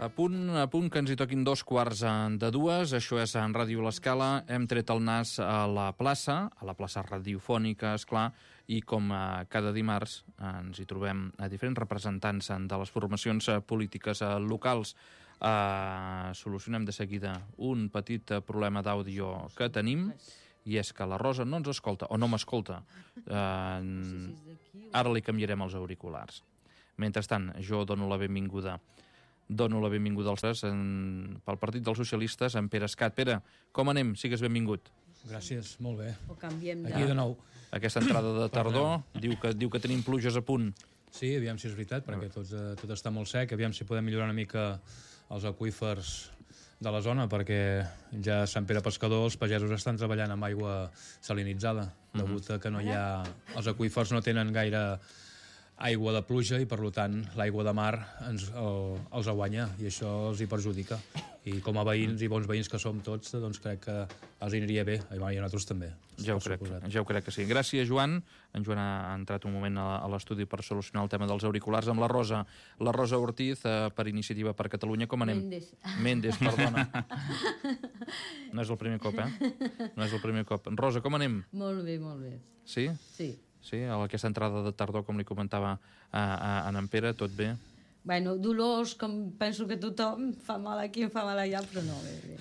A punt que ens hi toquin 2:15. Això és en Ràdio L'Escala. Hem tret el nas a la plaça radiofònica, esclar, i com cada dimarts ens hi trobem a diferents representants de les formacions polítiques locals. Solucionem de seguida un petit problema d'àudio que tenim, i és que la Rosa no ens escolta, o no m'escolta. Ara li canviarem els auriculars. Mentrestant, jo dono la benvinguda als tres pel Partit dels Socialistes, en Pere Escat. Pere, com anem? Sigues benvingut. Gràcies, molt bé. O canviem Aquí de nou. Aquesta entrada de tardor diu que tenim pluges a punt. Sí, aviam si és veritat, perquè tot està molt sec. Aviam si podem millorar una mica els aqüífers de la zona, perquè ja a Sant Pere Pescador els pagesos estan treballant amb aigua salinitzada, degut a que no hi ha... Els aqüífers no tenen gaire aigua de pluja i, per tant, l'aigua de mar els aguanya i això els hi perjudica. I com a veïns i bons veïns que som tots, doncs crec que els aniria bé, i a nosaltres també. Ja ho crec que sí. Gràcies, Joan. En Joan ha entrat un moment a l'estudi per solucionar el tema dels auriculars amb la Rosa. La Rosa Ortiz, per Iniciativa per Catalunya. Com anem? Mendes, perdona. No és el primer cop, No és el primer cop. Rosa, com anem? Molt bé, molt bé. Sí? Sí. Sí, a aquesta entrada de tardor, com li comentava en Pere, tot bé? Bueno, dolors, com penso que tothom, fa mal aquí, em fa mal allà, però no, bé.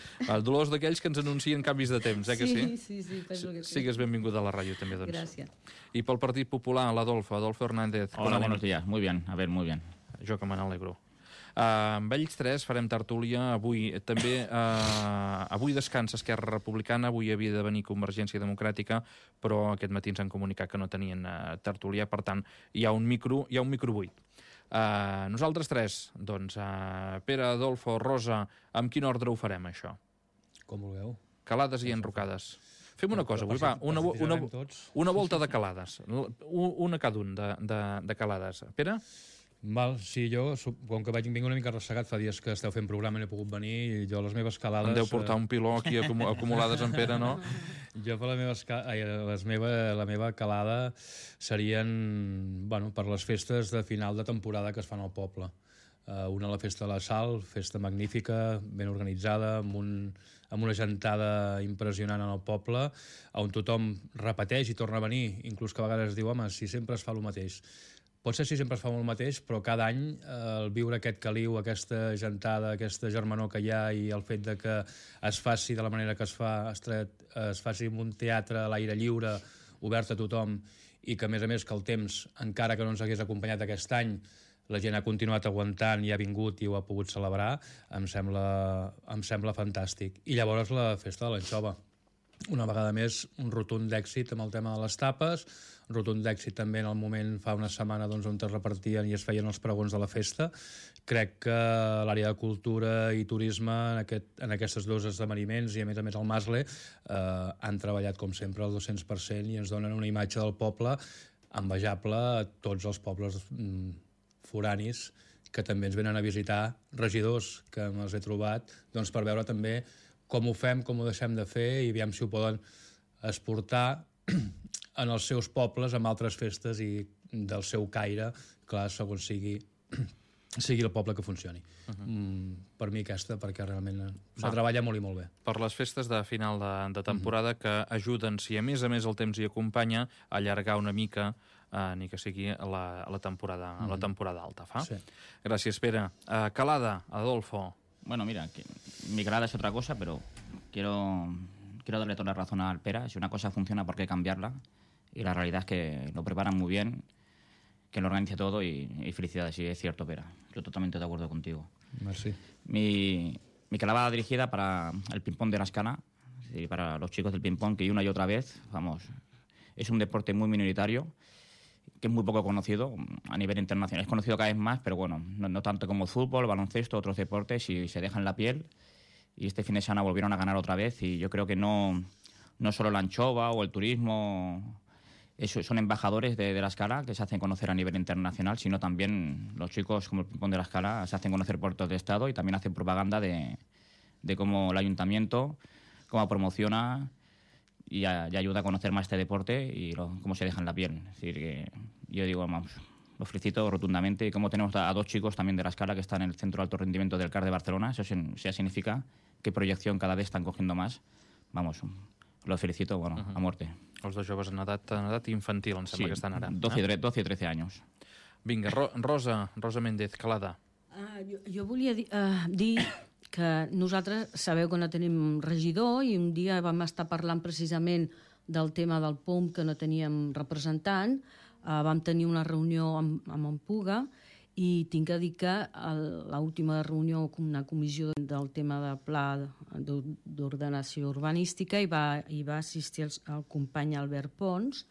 Dolors d'aquells que ens anuncien canvis de temps, que sí? Sí, penso que sí. Sigues benvinguda a la ràdio, també, doncs. Gràcies. I pel Partit Popular, l'Adolfo Hernández. Hola, buenos días, muy bien, muy bien. Jo que me n'alegro. Amb ells tres farem tertúlia avui. També avui descansa Esquerra Republicana, avui havia de venir Convergència Democràtica, però aquest matí ens han comunicat que no tenien tertúlia, per tant, hi ha un micro buit. Nosaltres tres, doncs, Pere, Adolfo, Rosa, amb quin ordre ho farem, això? Com vulgueu. Calades i enrocades. Fem una cosa avui, va, una volta de calades, una cada un de calades. Pere? Val, sí, jo, com que vinc una mica ressegat, fa dies que esteu fent programa i no he pogut venir, i jo les meves calades... Em deu portar un piló aquí acumulades en Pere, no? Jo per la meva calada serien, bueno, per les festes de final de temporada que es fan al poble. Una la festa de la Sal, festa magnífica, ben organitzada, amb una gentada impressionant en el poble, on tothom repeteix i torna a venir, inclús que a vegades diu, home, si sempre es fa el mateix. Potser si sempre es fa el mateix, però cada any el viure aquest caliu, aquesta gentada, aquesta germanor que hi ha i el fet de que es faci de la manera que es fa, es faci en un teatre a l'aire lliure, obert a tothom, i que a més que el temps, encara que no ens hagués acompanyat aquest any, la gent ha continuat aguantant i ha vingut i ho ha pogut celebrar, em sembla fantàstic. I llavors la festa de l'anxova. Una vegada més, un rotund d'èxit amb el tema de les tapes, un rotund d'èxit també en el moment, fa una setmana, doncs, on es repartien i es feien els pregons de la festa. Crec que l'àrea de cultura i turisme en aquests dos esdeveniments i a més el Masle han treballat com sempre al 200% i ens donen una imatge del poble envejable a tots els pobles foranis que també ens venen a visitar, regidors que me'ls he trobat, doncs, per veure també com ho fem, com ho deixem de fer i aviam si ho poden exportar en els seus pobles amb altres festes i del seu caire, clar, segons sigui el poble que funcioni. Per mi aquesta, perquè realment se treballa molt i molt bé. Per les festes de final de temporada que ajuden, si a més el temps hi acompanya, a allargar una mica ni que sigui la temporada alta. Sí. Gràcies, Pere. Calada, Adolfo. Bueno, mira, mi calada es otra cosa, pero quiero darle toda la razón al Pera. Si una cosa funciona, ¿por qué cambiarla? Y la realidad es que lo preparan muy bien, que lo organiza todo y felicidades, sí, es cierto, Pera. Yo totalmente de acuerdo contigo. Merci. Mi calada va dirigida para el ping-pong de la Escala, y para los chicos del ping-pong, que una y otra vez, vamos, es un deporte muy minoritario, que es muy poco conocido a nivel internacional. Es conocido cada vez más, pero bueno, no tanto como el fútbol, el baloncesto, otros deportes, y se dejan la piel. Y este fin de semana volvieron a ganar otra vez, y yo creo que no solo la anchova o el turismo son embajadores de la Escala, que se hacen conocer a nivel internacional, sino también los chicos como el ping-pong de la Escala se hacen conocer por todo el estado y también hacen propaganda de cómo el ayuntamiento, cómo promociona y ayuda a conocer más este deporte y cómo se deja en la piel. Es decir, que yo digo, vamos, Lo felicito rotundamente. Y como tenemos a dos chicos también de la Escala que están en el Centro de Alto Rendimiento del CAR de Barcelona, eso ya significa que proyección cada vez están cogiendo más. Vamos, lo felicito, bueno, a muerte. Els dos joves en edat infantil, em sembla que estan ara. 12 y 13 años. Vinga, Rosa Méndez, Calada. Jo volia dir que nosaltres sabeu que no tenim regidor i un dia vam estar parlant precisament del tema del POM que no teníem representant. Vam tenir una reunió amb en Puga i tinc que dir que l'última reunió, una comissió del tema del pla d'ordenació urbanística, hi va assistir el company Albert Pons,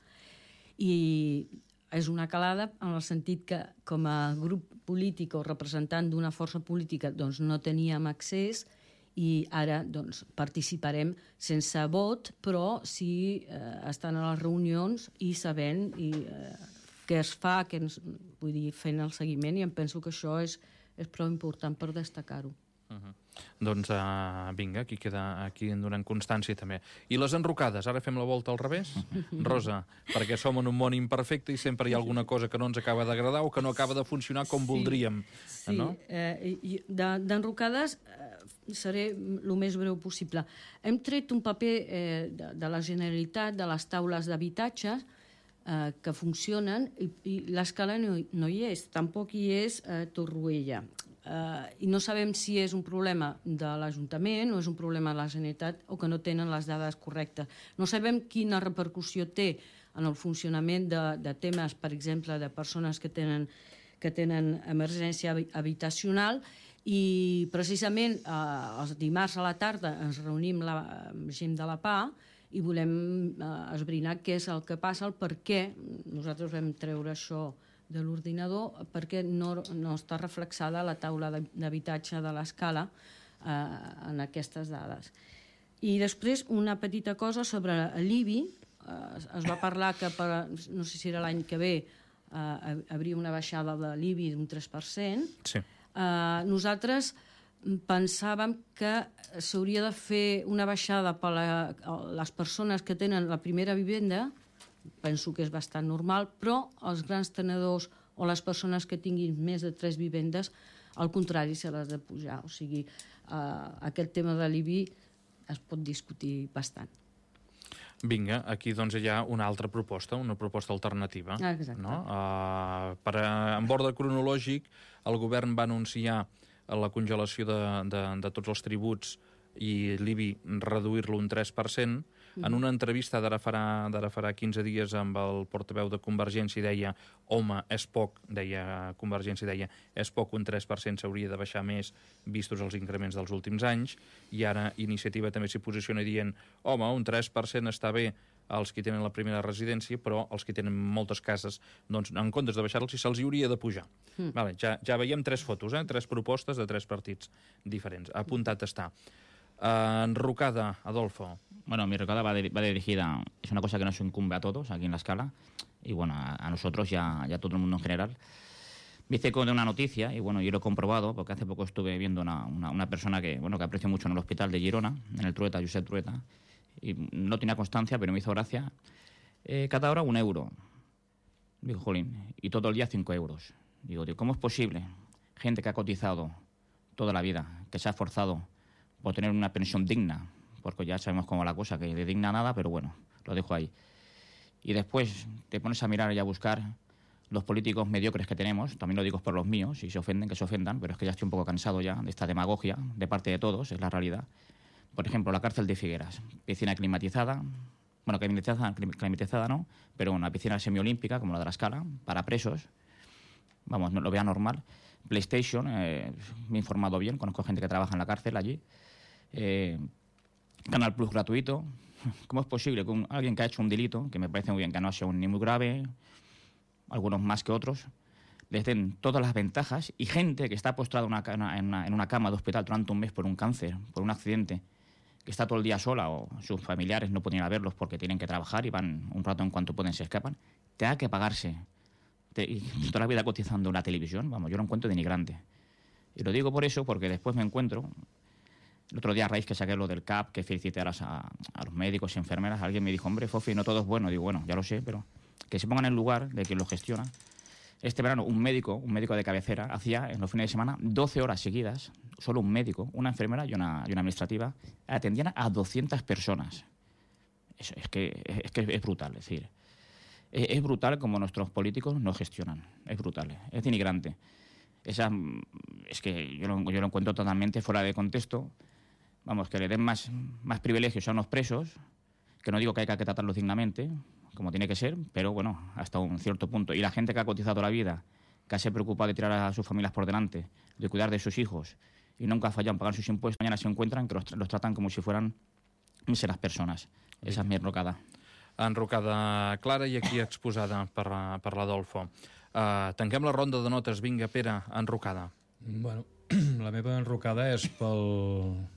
i és una calada en el sentit que com a grup polític o representant d'una força política doncs no teníem accés i ara doncs, participarem sense vot, però sí estan a les reunions i sabent què es fa, vull dir, fent el seguiment, i em penso que això és prou important per destacar-ho. Doncs vinga, aquí en donem constància també. I les enrocades, ara fem la volta al revés? Rosa, perquè som en un món imperfecte i sempre hi ha alguna cosa que no ens acaba d'agradar o que no acaba de funcionar com voldríem. Sí, d'enrocades seré el més breu possible. Hem tret un paper de la Generalitat, de les taules d'habitatge, que funcionen, i l'Escala no hi és, tampoc hi és Torroella. I no sabem si és un problema de l'Ajuntament o és un problema de la Generalitat o que no tenen les dades correctes. No sabem quina repercussió té en el funcionament de temes, per exemple, de persones que tenen emergència habitacional, i precisament els dimarts a la tarda ens reunim amb gent de la PA i volem esbrinar què és el que passa, el per què nosaltres vam treure això de l'ordinador, perquè no està reflexada la taula d'habitatge de l'Escala en aquestes dades. I després una petita cosa sobre l'IBI. Es va parlar que, no sé si era l'any que ve, hauria una baixada de l'IBI d'un 3%. Sí. Nosaltres pensàvem que s'hauria de fer una baixada per a les persones que tenen la primera vivenda. Penso que és bastant normal, però els grans tenedors o les persones que tinguin més de 3 vivendes, al contrari, se les ha de pujar. O sigui, aquest tema de l'IBI es pot discutir bastant. Vinga, aquí doncs hi ha una altra proposta, una proposta alternativa. Exacte. No? En ordre cronològic, el govern va anunciar la congelació de tots els tributs i l'IBI reduir-lo un 3%. En una entrevista d'ara farà 15 dies amb el portaveu de Convergència deia, home, és poc, Convergència deia, és poc, un 3% s'hauria de baixar més vistos els increments dels últims anys, i ara Iniciativa també s'hi posiciona dient, home, un 3% està bé als que tenen la primera residència, però els que tenen moltes cases, doncs, en comptes de baixar-los, se'ls hauria de pujar. Vale, ja veiem 3 fotos, 3 propostes de 3 partits diferents. Apuntat està. Enrocada, Adolfo. Bueno, mi enrocada va dirigida, es una cosa que nos incumbe a todos aquí en la Escala, y bueno, a nosotros y a todo el mundo en general. Me hice con una noticia, y bueno, yo lo he comprobado, porque hace poco estuve viendo una persona que aprecio mucho en el hospital de Girona, en el Trueta, Josep Trueta, y no tenía constancia, pero me hizo gracia. Cada hora 1 euro. Digo, jolín, y todo el día 5 euros. Digo, ¿cómo es posible? Gente que ha cotizado toda la vida, que se ha esforzado por tener una pensión digna, porque ya sabemos cómo va la cosa, que de digna nada, pero bueno, lo dejo ahí. Y después te pones a mirar y a buscar los políticos mediocres que tenemos, también lo digo por los míos, si se ofenden, que se ofendan, pero es que ya estoy un poco cansado ya de esta demagogia de parte de todos, es la realidad. Por ejemplo, la cárcel de Figueras, piscina climatizada, bueno, climatizada no, pero una piscina semiolímpica, como la de la Escala, para presos, vamos, no lo vea normal. PlayStation, me he informado bien, conozco gente que trabaja en la cárcel allí. Canal Plus gratuito. ¿Cómo es posible que alguien que ha hecho un delito, que me parece muy bien que no ha sido ni muy grave, algunos más que otros, les den todas las ventajas, y gente que está postrada en una cama de hospital durante un mes por un cáncer, por un accidente, que está todo el día sola o sus familiares no pueden ir a verlos porque tienen que trabajar y van un rato en cuanto pueden se escapan, tenga que pagarse y toda la vida cotizando una televisión, vamos, yo lo encuentro denigrante. Y lo digo por eso, porque después me encuentro, el otro día a raíz que saqué lo del CAP, que felicité a los médicos y enfermeras, alguien me dijo, hombre, Fofi, no todo es bueno. Digo, bueno, ya lo sé, pero que se pongan en el lugar de quien lo gestiona. Este verano un médico de cabecera, hacía en los fines de semana 12 horas seguidas, solo un médico, una enfermera y una administrativa, atendían a 200 personas. Es que es brutal, es decir, es brutal como nuestros políticos no gestionan, es brutal, es denigrante. Es que yo lo encuentro totalmente fuera de contexto. Vamos, que le den más privilegios a unos presos, que no digo que hay que tratarlos dignamente, como tiene que ser, pero bueno, hasta un cierto punto. Y la gente que ha cotizado la vida, que se ha preocupado de tirar a sus familias por delante, de cuidar de sus hijos, y nunca ha fallado en pagar sus impuestos, mañana se encuentran que los tratan com si fueran míseres persones. Esa és mi enrocada. Enrocada clara i aquí exposada per l'Adolfo. Tanquem la ronda de notes. Vinga, Pere, enrocada. Bueno, la meva enrocada és pel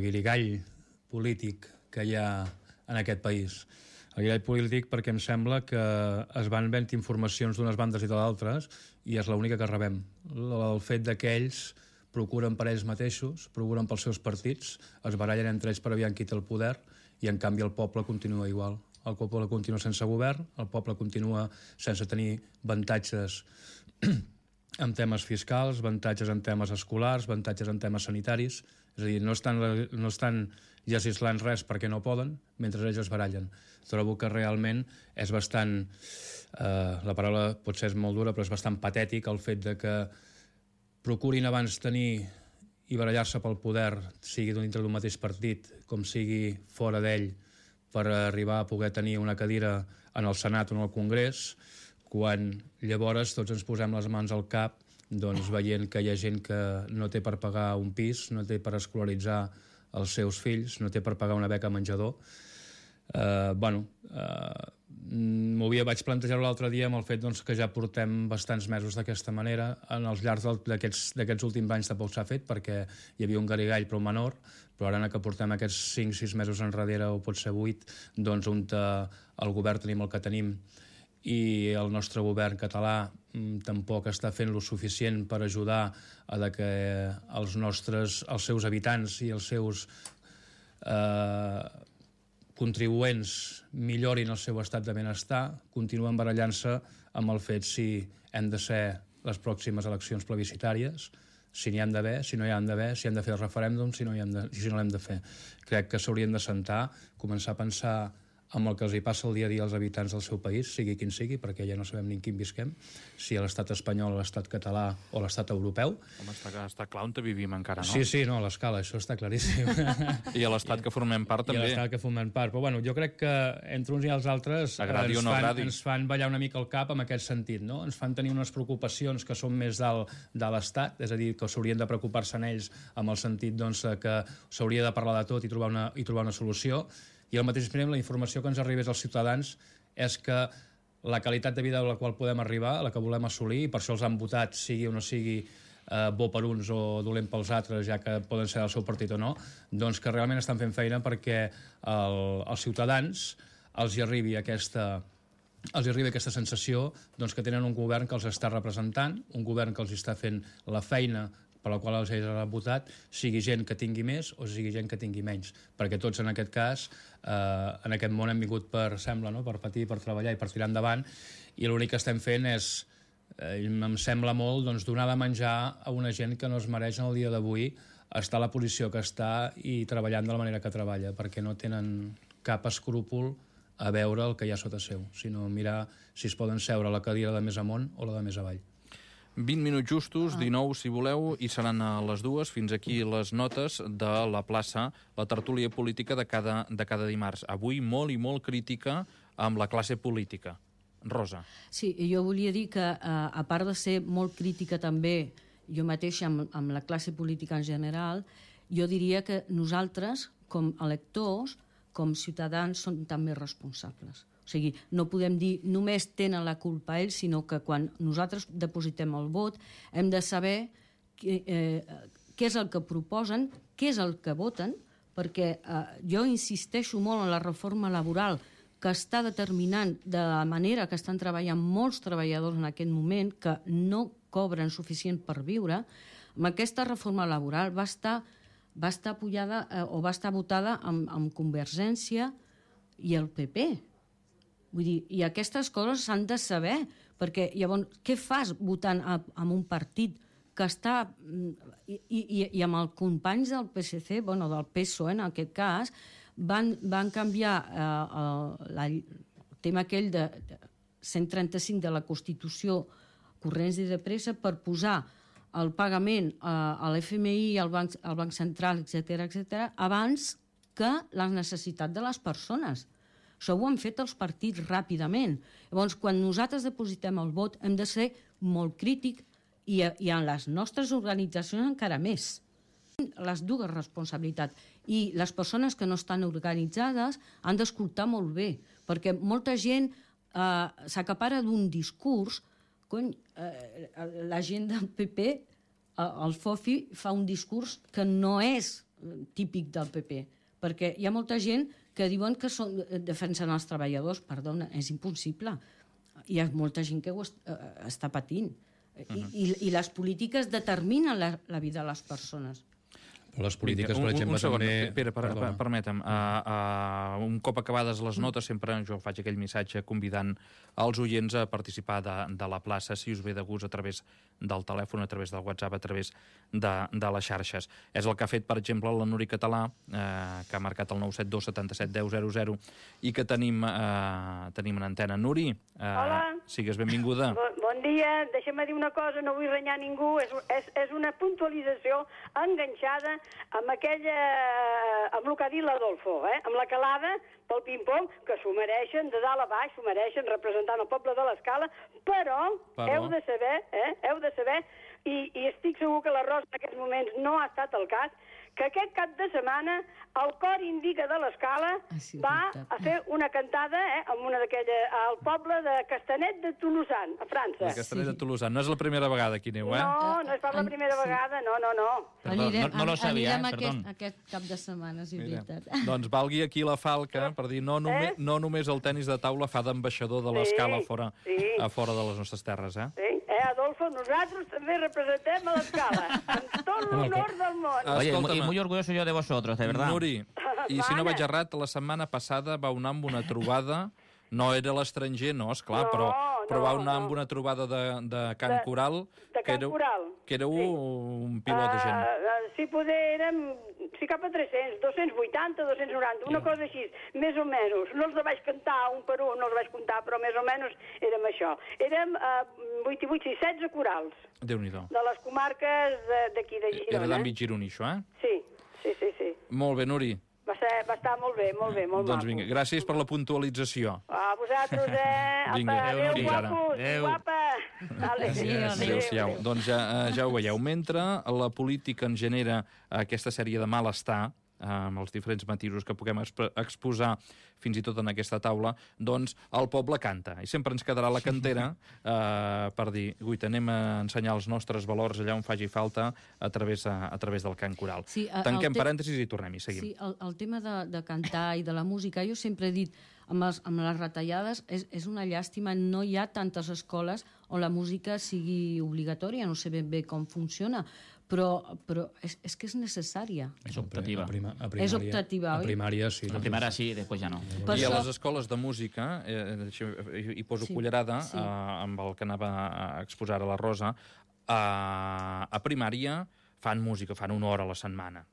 guirigall polític que hi ha en aquest país. El guirigall polític perquè em sembla que es van venint informacions d'unes bandes i de d'altres i és l'única que rebem. El fet que ells procuren per ells mateixos, procuren pels seus partits, es barallen entre ells per aviam qui té el poder i en canvi el poble continua igual. El poble continua sense govern, el poble continua sense tenir avantatges en temes fiscals, avantatges en temes escolars, avantatges en temes sanitaris. És a dir, no estan legislant res perquè no poden, mentre ells es barallen. Trobo que realment és bastant... la paraula potser és molt dura, però és bastant patètic el fet de que procurin abans tenir i barallar-se pel poder, sigui dintre d'un mateix partit, com sigui fora d'ell, per arribar a poder tenir una cadira en el Senat o en el Congrés, quan llavors tots ens posem les mans al cap doncs veient que hi ha gent que no té per pagar un pis, no té per escolaritzar els seus fills, no té per pagar una beca menjador. Vaig plantejar l'altre dia amb el fet doncs, que ja portem bastants mesos d'aquesta manera. En els llargs d'aquests últims anys tampoc s'ha fet perquè hi havia un garigall però menor, però ara que portem aquests 5-6 mesos enrere o potser 8, doncs on el govern tenim el que tenim i el nostre govern català tampoc està fent lo suficient per ajudar a que els seus habitants i els seus contribuents millorin el seu estat de benestar, continuen barallant-se amb el fet si hem de ser les pròximes eleccions plebiscitàries, si n'hi han d'haver, si no hi han d'haver, si hem de fer el referèndum, si no l'hem de fer. Crec que s'haurien de sentar, començar a pensar amb el que els hi passa el dia a dia als habitants del seu país, sigui quin sigui, perquè ja no sabem ni en quin visquem, si a l'estat espanyol, a l'estat català o a l'estat europeu. Home, està clar on vivim encara, no? Sí, no, a l'escala, això està claríssim. I a l'estat que formem part també. I a l'estat que formem part. Però bueno, jo crec que entre uns i els altres ens fan ballar una mica el cap en aquest sentit, no? Ens fan tenir unes preocupacions que són més de l'estat, és a dir, que s'haurien de preocupar-se en ells amb el sentit doncs, que s'hauria de parlar de tot i trobar una solució. I al mateix temps la informació que ens arribés als ciutadans és que la qualitat de vida a la qual podem arribar, a la que volem assolir, i per això els han votat, sigui o no sigui bo per uns o dolent pels altres, ja que poden ser del seu partit o no, doncs que realment estan fent feina perquè als ciutadans els hi arribi aquesta sensació doncs, que tenen un govern que els està representant, un govern que els està fent la feina per la qual els han votat, sigui gent que tingui més o sigui gent que tingui menys. Perquè tots en aquest cas, en aquest món hem vingut per patir, per treballar i per tirar endavant, i l'únic que estem fent és, em sembla molt, doncs, donar de menjar a una gent que no es mereix en el dia d'avui estar a la posició que està i treballant de la manera que treballa, perquè no tenen cap escrúpol a veure el que hi ha sota seu, sinó mirar si es poden seure a la cadira de més amunt o la de més avall. 20 minuts justos, 19 si voleu, i seran a les 2. Fins aquí les notes de la plaça, la tertúlia política de cada dimarts. Avui molt i molt crítica amb la classe política. Rosa. Sí, jo volia dir que, a part de ser molt crítica també, jo mateixa amb la classe política en general, jo diria que nosaltres, com a electors, com ciutadans, som també responsables. O sigui, no podem dir només tenen la culpa ells, sinó que quan nosaltres depositem el vot hem de saber què és el que proposen, què és el que voten, perquè jo insisteixo molt en la reforma laboral que està determinant de la manera que estan treballant molts treballadors en aquest moment, que no cobren suficient per viure. Amb aquesta reforma laboral va estar apoyada o va estar votada amb Convergència i el PP. Vull dir, i aquestes coses s'han de saber, Perquè llavors, què fas votant en un partit que està... I amb els companys del PSC, del PSOE en aquest cas, van canviar el tema aquell de 135 de la Constitució corrents i de pressa per posar el pagament a l'FMI, al Banc Central, etc., abans que les necessitats de les persones. Això ho han fet els partits ràpidament. Llavors, quan nosaltres depositem el vot, hem de ser molt crítics i en les nostres organitzacions encara més. Les dues responsabilitats. I les persones que no estan organitzades han d'escoltar molt bé, perquè molta gent s'acapara d'un discurs. La gent del PP, el FOFI, fa un discurs que no és típic del PP, perquè hi ha molta gent que diuen que defensen els treballadors. Perdona, és impossible. Hi ha molta gent que ho està patint. I les polítiques determinen la vida de les persones. Però les polítiques, per exemple, un segon, també... Pere, permetem. Un cop acabades les notes, sempre jo faig aquell missatge convidant els oients a participar de la plaça, si us ve de gust, a través del telèfon, a través del WhatsApp, a través de les xarxes. És el que ha fet, per exemple, la Nuri Català, que ha marcat el 972 77 10 00, i que tenim en antena. Nuri, sigues benvinguda. Bon dia. Deixa'm dir una cosa, no vull renyar ningú. És una puntualització enganxada amb el que ha dit l'Adolfo, amb la calada pel ping-pong, que s'ho mereixen de dalt a baix, s'ho mereixen representant el poble de l'Escala, però heu de saber, i estic segur que la Rosa en aquests moments no ha estat el cas, que aquest cap de setmana el cor Indica de l'Escala va a fer una cantada al poble de Castanet de Tolosan, a França. Castanet de Tolosan. No és la primera vegada que aneu, No és per la primera vegada, no. No lo sabia, Anirem aquest cap de setmana, si és veritat. Doncs valgui aquí la falca per dir no només el tenis de taula fa d'ambaixador de l'Escala a fora de les nostres terres, Sí, Adolfo, nosaltres també representem a l'Escala, amb tot l'honor del món. Oye, y muy orgulloso yo de vosotros, de verdad. Nuri, i si no vaig errat, la setmana passada vau anar amb una trobada, no era l'estranger, no, esclar, però vau anar amb una trobada de Can Coral, que éreu un pilot de gent. Si poder érem, cap a 300, 280, 290, una cosa així, més o menys. No els vaig cantar un per un, no els vaig comptar, però més o menys érem això. Érem 8 i 8 i 16 corals. Déu-n'hi-do. De les comarques d'aquí de Girona. Era d'àmbit gironí, això, Sí. Molt bé, Nuri. Va estar molt bé, molt maco. Doncs vinga, gràcies per la puntualització. A vosaltres, Vinga, adéu, guapos, guapa. Adéu-siau. Doncs ja ho veieu. Mentre la política en genera aquesta sèrie de malestar, amb els diferents matisos que puguem exposar fins i tot en aquesta taula, doncs el poble canta. I sempre ens quedarà la cantera per dir, guaita, anem a ensenyar els nostres valors allà on faci falta a través del cant coral. Sí, tanquem parèntesis i tornem-hi, seguim. Sí, el tema de cantar i de la música, jo sempre he dit, amb les retallades, és una llàstima, no hi ha tantes escoles on la música sigui obligatòria, no sé ben bé com funciona, però és que és necessària. És optativa. És optativa, oi? A primària, sí. A primària sí, després ja no. I a les escoles de música, hi poso cullerada amb el que anava a exposar a la Rosa, a primària fan música, fan una hora a la setmana.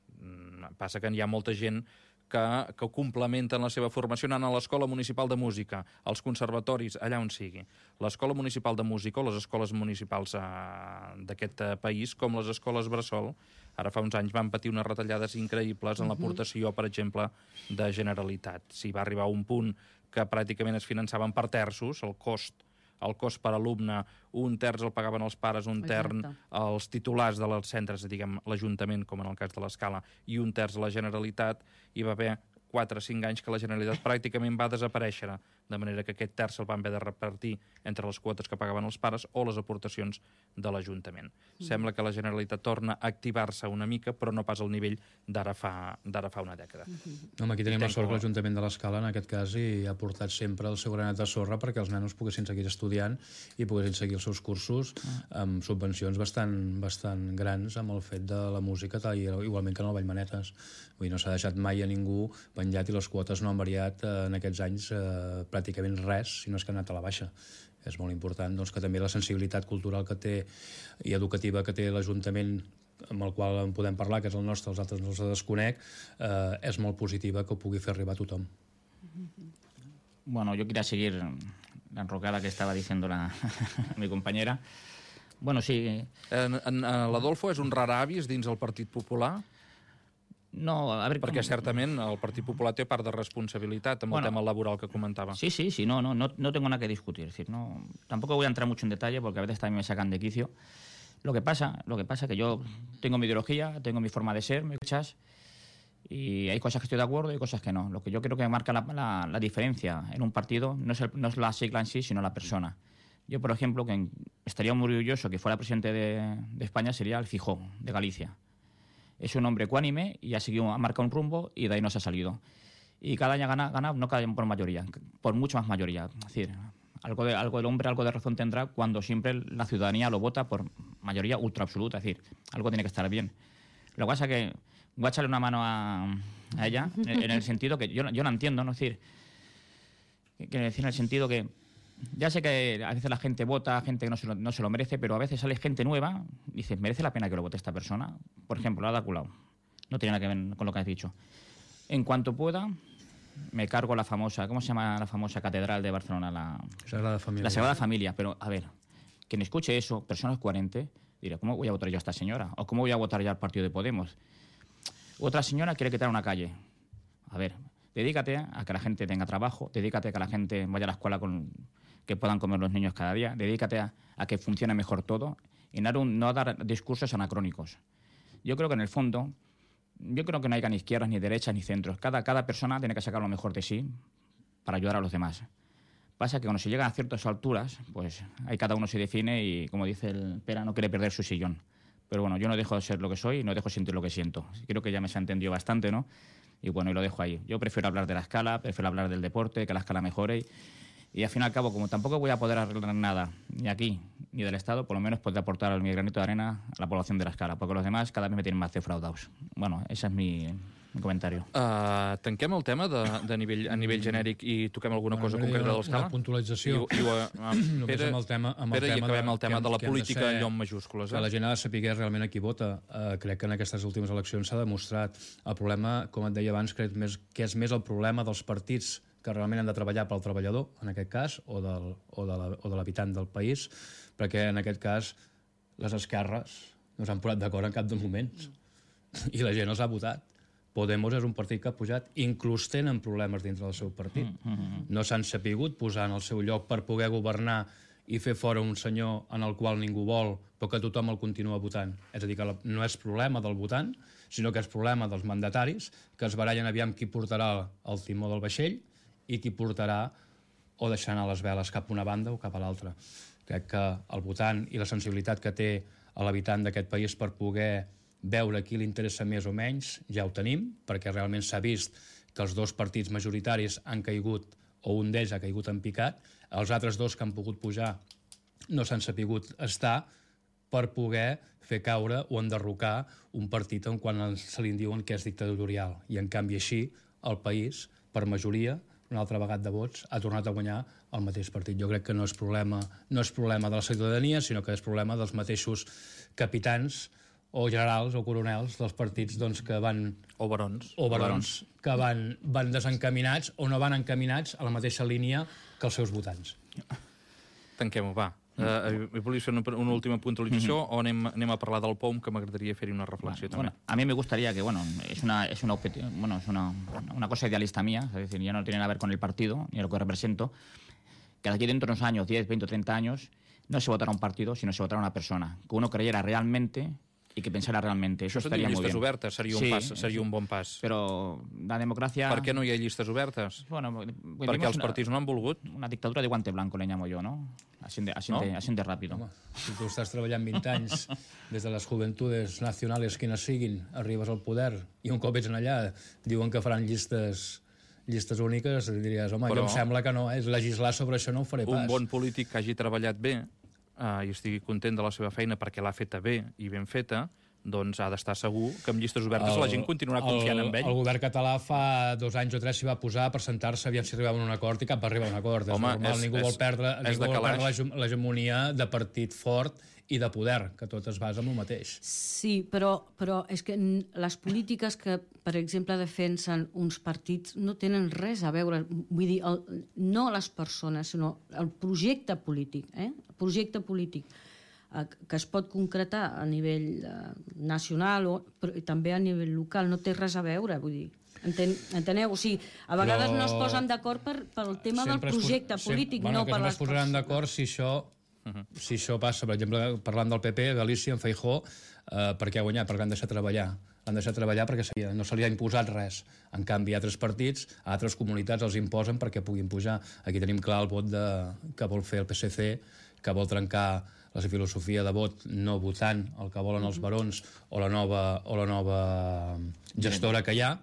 Passa que hi ha molta gent que complementen la seva formació anant a l'Escola Municipal de Música, als conservatoris, allà on sigui. L'Escola Municipal de Música o les escoles municipals d'aquest país, com les escoles bressol, ara fa uns anys van patir unes retallades increïbles en l'aportació, per exemple, de Generalitat. Si va arribar a un punt que pràcticament es finançaven per terços, el cost per alumne, un terç el pagaven els pares, un terç els titulars dels centres, diguem, l'Ajuntament, com en el cas de l'Escala, i un terç la Generalitat. Hi va haver 4 o 5 anys que la Generalitat pràcticament va desaparèixer, de manera que aquest terç el van haver de repartir entre les quotes que pagaven els pares o les aportacions de l'Ajuntament. Sembla que la Generalitat torna a activar-se una mica, però no pas al nivell d'ara fa una dècada. Aquí tenim la sort que l'Ajuntament de l'Escala, en aquest cas, hi ha portat sempre el seu granet de sorra perquè els nanos poguessin seguir estudiant i poguessin seguir els seus cursos amb subvencions bastant grans amb el fet de la música, igualment que en el Vallmanetes. Vull dir, no s'ha deixat mai a ningú penjat i les quotes no han variat en aquests anys pràcticament res, si no és que han anat a la baixa. És molt important doncs, que també la sensibilitat cultural que té i educativa que té l'Ajuntament amb el qual en podem parlar, que és el nostre, els altres no els desconec, és molt positiva que ho pugui fer arribar a tothom. Bueno, yo quería seguir la enrocada que estaba diciendo mi compañera. Bueno, sí. L'Adolfo és un raravis dins el Partit Popular? No, a ver... Perquè certament el Partit Popular té part de responsabilitat amb el tema laboral que comentaba. Sí, no tengo nada que discutir. Es decir, tampoco voy a entrar mucho en detalle porque a veces también me sacan de quicio. Lo que pasa es que yo tengo mi ideología, tengo mi forma de ser, me escuchas, y hay cosas que estoy de acuerdo y hay cosas que no. Lo que yo creo que marca la diferencia en un partido no es la sigla en sí, sino la persona. Yo, por ejemplo, que estaría muy orgulloso que fuera presidente de España sería el Feijóo, de Galicia. Es un hombre ecuánime y ha marcado un rumbo y de ahí no se ha salido. Y cada año gana no cada año por mayoría, por mucho más mayoría. Es decir, algo del hombre, algo de razón tendrá cuando siempre la ciudadanía lo vota por mayoría ultra absoluta. Es decir, algo tiene que estar bien. Lo que pasa es que voy a echarle una mano a ella en el sentido que yo la entiendo, ¿no? Es decir, en el sentido que ya sé que a veces la gente vota, gente que no se lo merece, pero a veces sale gente nueva y dices, ¿merece la pena que lo vote esta persona? Por ejemplo, Ada Colau. No tiene nada que ver con lo que has dicho. En cuanto pueda, me cargo la famosa, ¿cómo se llama la famosa catedral de Barcelona? La Sagrada Familia. La Sagrada Familia. Pero, a ver, quien escuche eso, personas coherentes, dirá, ¿cómo voy a votar yo a esta señora? ¿O cómo voy a votar yo al partido de Podemos? Otra señora quiere quitar una calle. A ver, dedícate a que la gente tenga trabajo, dedícate a que la gente vaya a la escuela que puedan comer los niños cada día, dedícate a que funcione mejor todo y no dar discursos anacrónicos. Yo creo que en el fondo, yo creo que no hay ni izquierdas, ni derechas, ni centros. Cada persona tiene que sacar lo mejor de sí para ayudar a los demás. Pasa que cuando se llegan a ciertas alturas, pues ahí cada uno se define y, como dice el Pera, no quiere perder su sillón. Pero bueno, yo no dejo de ser lo que soy y no dejo de sentir lo que siento. Creo que ya me se ha entendido bastante, ¿no? Y bueno, y lo dejo ahí. Yo prefiero hablar de la escala, prefiero hablar del deporte, que la escala mejore. Y al fin y al cabo, como tampoco voy a poder arreglar nada, ni aquí, ni del Estado, por lo menos podré aportar mi granito de arena a la población de la escala, porque los demás cada vez me tienen más defraudados. Bueno, ese es mi comentario. Tanquem el tema a nivell genèric i toquem alguna cosa concreta de l'escala? Una puntualització. Només amb el tema, i acabem el tema de la política allò en majúscules. Que la gent ha de saber realment a qui vota. Crec que en aquestes últimes eleccions s'ha demostrat. El problema, com et deia abans, crec que és més el problema dels partits que realment han de treballar pel treballador, en aquest cas, o de l'habitant del país, perquè en aquest cas les esquerres no s'han posat d'acord en cap dels moments i la gent els ha votat. Podemos és un partit que ha pujat, inclús tenen problemes dintre del seu partit. No s'han sapigut posar en el seu lloc per poder governar i fer fora un senyor en el qual ningú vol, però que tothom el continua votant. És a dir, que no és problema del votant, sinó que és problema dels mandataris, que es barallen aviam qui portarà el timó del vaixell i qui portarà o deixar anar les veles cap a una banda o cap a l'altra. Crec que el votant i la sensibilitat que té l'habitant d'aquest país per poder veure qui li interessa més o menys, ja ho tenim, perquè realment s'ha vist que els dos partits majoritaris han caigut, o un d'ells ha caigut en picat, els altres dos que han pogut pujar no s'han sapigut estar per poder fer caure o enderrocar un partit en quan se li diuen que és dictatorial. I en canvi així, el país, per majoria, una altra vegada de vots, ha tornat a guanyar el mateix partit. Jo crec que no és problema de la ciutadania, sinó que és problema dels mateixos capitans o generals o coronels dels partits que van... O barons. Que van desencaminats o no van encaminats a la mateixa línia que els seus votants. Tanquem-ho, va. Volia fer una última puntualització o anem a parlar del POM, que m'agradaria fer-hi una reflexió també. Bueno, a mí me gustaría que, es una cosa idealista mía, es decir, ya no tiene nada que ver con el partido ni lo que represento, que de aquí dentro de unos años, 10, 20 o 30 años, no se votará un partido, sino se votará una persona, que uno creyera realmente y que pensara realmente. Eso estaría muy bien. Llistes obertes seria un bon pas. Però la democràcia... Per què no hi ha llistes obertes? Bueno, perquè els partits no han volgut. Una dictadura de guante blanco, le llamo yo, ¿no? Así de rápido. Home, si tu estàs treballant 20 anys des de les juventudes nacionals, quines siguin, arribes al poder i un cop ets allà diuen que faran llistes úniques, diries, home, jo em sembla que no, legislar sobre això no ho faré pas. Un bon polític que hagi treballat bé i estigui content de la seva feina perquè l'ha feta bé i ben feta, doncs ha d'estar segur que amb llistes obertes la gent continuarà confiant en ell. El govern català fa 2 anys o 3 s'hi va posar per sentar-se, aviam si arribava a un acord, i cap va arribar a un acord. Home, és normal, ningú vol perdre l'hegemonia de partit fort i de poder, que tot es basa en el mateix. Sí, però és que les polítiques que, per exemple, defensen uns partits no tenen res a veure, vull dir, no les persones, sinó el projecte polític, el projecte polític que es pot concretar a nivell nacional però també a nivell local, no té res a veure, vull dir. Enteneu? O sigui, a vegades no es posen d'acord pel tema del projecte polític, no per les persones. Es posaran d'acord si això passa, per exemple, parlant del PP, Galícia, en Feijóo, per què ha guanyat? Perquè l'han deixat treballar. L'han deixat treballar perquè no se li ha imposat res. En canvi, altres partits, altres comunitats els imposen perquè puguin pujar. Aquí tenim clar el vot que vol fer el PSC, que vol trencar la filosofia de vot no votant el que volen els barons o la nova gestora que hi ha,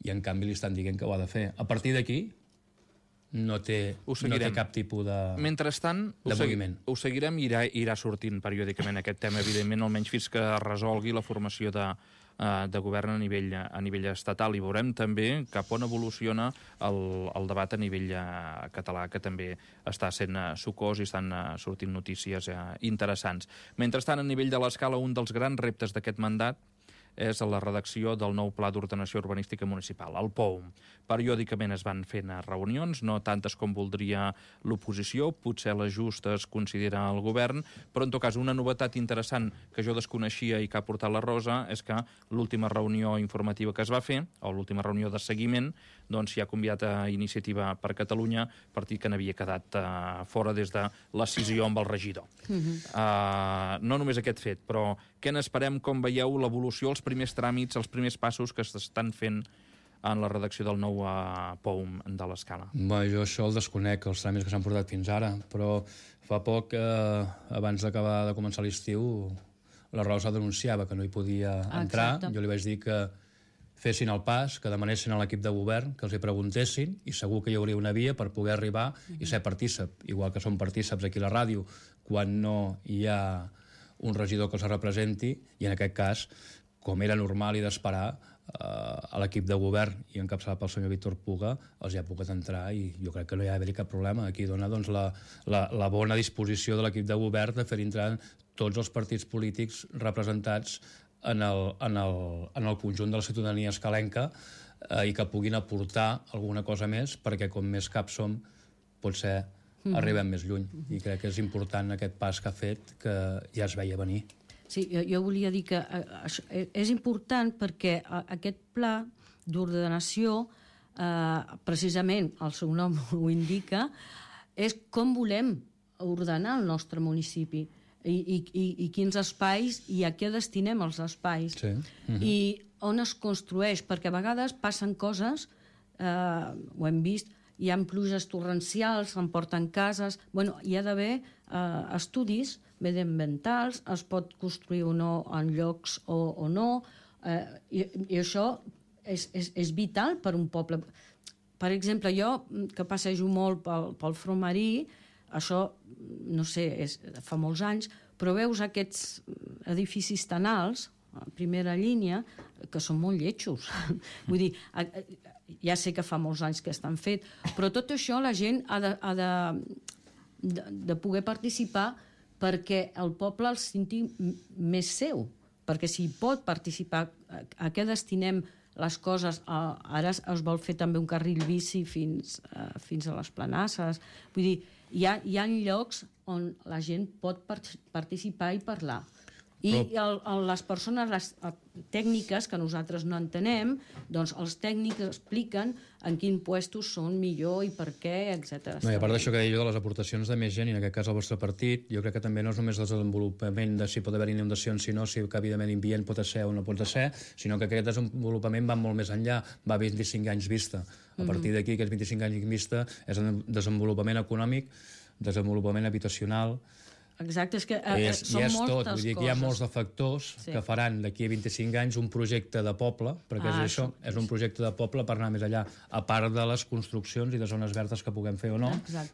i en canvi li estan dient que ho ha de fer. A partir d'aquí no té cap tipus de moviment. Ho seguirem i irà sortint periòdicament aquest tema, evidentment, almenys fins que es resolgui la formació de govern a nivell estatal, i veurem també cap on evoluciona el debat a nivell català, que també està sent sucós i estan sortint notícies interessants. Mentrestant, a nivell de l'escala, un dels grans reptes d'aquest mandat és la redacció del nou Pla d'Ordenació Urbanística Municipal, el POUM. Periòdicament es van fent reunions, no tantes com voldria l'oposició, potser les justes considera el govern, però en tot cas una novetat interessant que jo desconeixia i que ha portat la Rosa és que l'última reunió informativa que es va fer, o l'última reunió de seguiment, doncs s'hi ha convidat a Iniciativa per Catalunya, partit que n'havia quedat fora des de l'escissió amb el regidor. No només aquest fet, però què n'esperem, com veieu l'evolució, els primers tràmits, els primers passos que s'estan fent en la redacció del nou POUM de l'Escala? Jo això el desconec, els tràmits que s'han portat fins ara, però fa poc, abans d'acabar de començar l'estiu, la Rosa denunciava que no hi podia entrar. Jo li vaig dir que fessin el pas, que demanessin a l'equip de govern que els hi preguntessin, i segur que hi hauria una via per poder arribar i ser partícip, igual que som partícips aquí a la ràdio, quan no hi ha un regidor que els representi, i en aquest cas, com era normal i d'esperar, a l'equip de govern i encapçalat pel senyor Víctor Puga els hi ha pogut entrar, i jo crec que no hi ha d'haver cap problema. Aquí dona la bona disposició de l'equip de govern de fer entrar tots els partits polítics representats en el conjunt de la ciutadania escalenca, i que puguin aportar alguna cosa més, perquè com més caps som, potser arribem més lluny. I crec que és important aquest pas que ha fet, que ja es veia venir. Sí, jo volia dir que és important perquè aquest pla d'ordenació, precisament el seu nom ho indica, és com volem ordenar el nostre municipi i quins espais i a què destinem els espais. I on es construeix, perquè a vegades passen coses, ho hem vist, hi ha pluges torrencials, s'emporten cases. Hi ha d'haver estudis mediambientals, es pot construir o no en llocs o no, i això és vital per un poble. Per exemple, jo, que passejo molt pel front marí, això, no sé, fa molts anys, però veus aquests edificis tan alts, a primera línia, que són molt lletjos. Vull dir, ja sé que fa molts anys que estan fets, però tot això la gent ha de poder participar perquè el poble el senti més seu, perquè si pot participar, a què destinem les coses. Ara es vol fer també un carril bici fins a les Planasses. Vull dir, hi ha llocs on la gent pot participar i parlar. I les persones, les tècniques que nosaltres no entenem, doncs els tècnics expliquen en quins puestos són millor i per què, etc. I a part d'això que deia jo de les aportacions de més gent, i en aquest cas el vostre partit, jo crec que també no és només el desenvolupament de si pot haver inundacions, sinó si que evidentment invient pot ser o no pot ser, sinó que aquest desenvolupament va molt més enllà, va a 25 anys vista. A partir d'aquí, aquests 25 anys vista, és un desenvolupament econòmic, desenvolupament habitacional, Exacte, és que I són és moltes tot, vull dir que hi ha coses. molts de factors que faran d'aquí a 25 anys un projecte de poble, perquè és això, és un projecte de poble per anar més allà, a part de les construccions i de zones verdes que puguem fer o no,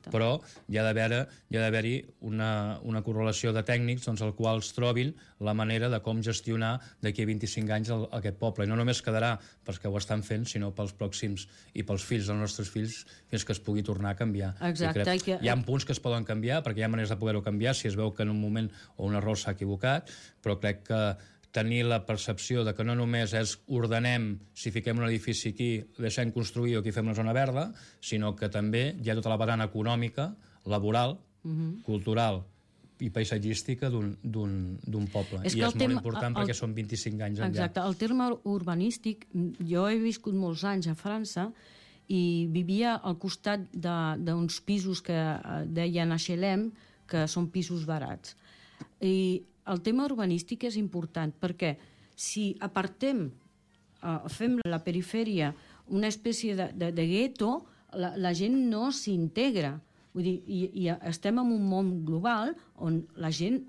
però hi ha d'haver-hi una correlació de tècnics doncs, els quals trobin la manera de com gestionar d'aquí a 25 anys aquest poble. I no només quedarà pels que ho estan fent, sinó pels pròxims i pels fills dels nostres fills fins que es pugui tornar a canviar. Exacte. Hi ha punts que es poden canviar, perquè hi ha maneres de poder-ho canviar si es veu que en un moment o un error s'ha equivocat, però crec que tenir la percepció de que no només és ordenem si fiquem un edifici aquí, deixem construir o aquí fem una zona verda, sinó que també hi ha tota la vessant econòmica, laboral, cultural i paisatgística d'un poble. I és molt important perquè són 25 anys enllà. Exacte. El terme urbanístic, jo he viscut molts anys a França i vivia al costat d'uns pisos que deien HLM, que són pisos barats. I el tema urbanístic és important perquè si apartem, fem la perifèria una espècie de gueto, la gent no s'integra. Vull dir, i estem en un món global on la gent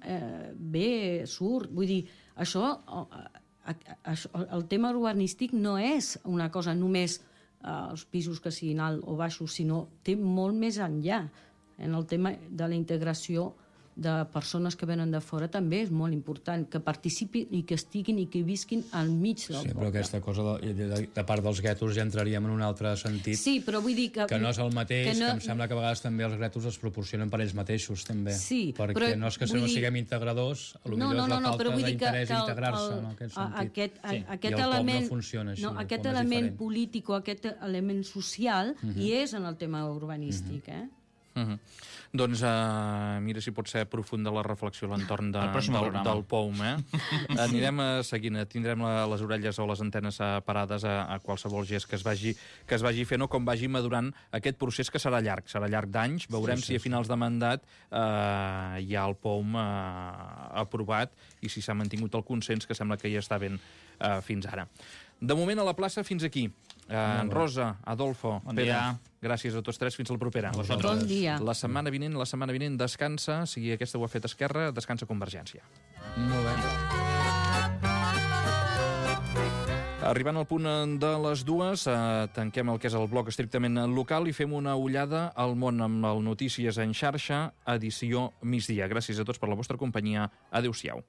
ve, surt. Vull dir, el tema urbanístic no és una cosa només els pisos que siguin alt o baixos, sinó té molt més enllà. En el tema de la integració de persones que venen de fora també és molt important que participin i que estiguin i que visquin al mig del poble. Sí, però aquesta cosa de part dels guetos ja entraríem en un altre sentit. Sí, però vull dir que no és el mateix, que em sembla que a vegades també els guetos es proporcionen per ells mateixos, també. Sí, perquè no és que no siguem integradors, potser és la falta d'interès d'integrar-se en aquest sentit. Aquest element, no funciona així. Aquest element polític o aquest element social hi és en el tema urbanístic, Doncs mira si pot ser profunda la reflexió a l'entorn del POUM. Anirem seguint, tindrem les orelles o les antenes parades a qualsevol gest que es vagi fent o com vagi madurant aquest procés que serà llarg d'anys. Veurem si a finals de mandat hi ha el POUM aprovat i si s'ha mantingut el consens, que sembla que ja està ben fins ara. De moment a la plaça fins aquí. Rosa, Adolfo, Pere, gràcies a tots tres, fins a la propera. Bon dia. La setmana vinent descansa, si aquesta ho ha fet Esquerra, descansa Convergència. Molt bé. Arribant al punt de les 2, tanquem el que és el bloc estrictament local i fem una ullada al món amb el Notícies en xarxa, edició migdia. Gràcies a tots per la vostra companyia. Adéu-siau.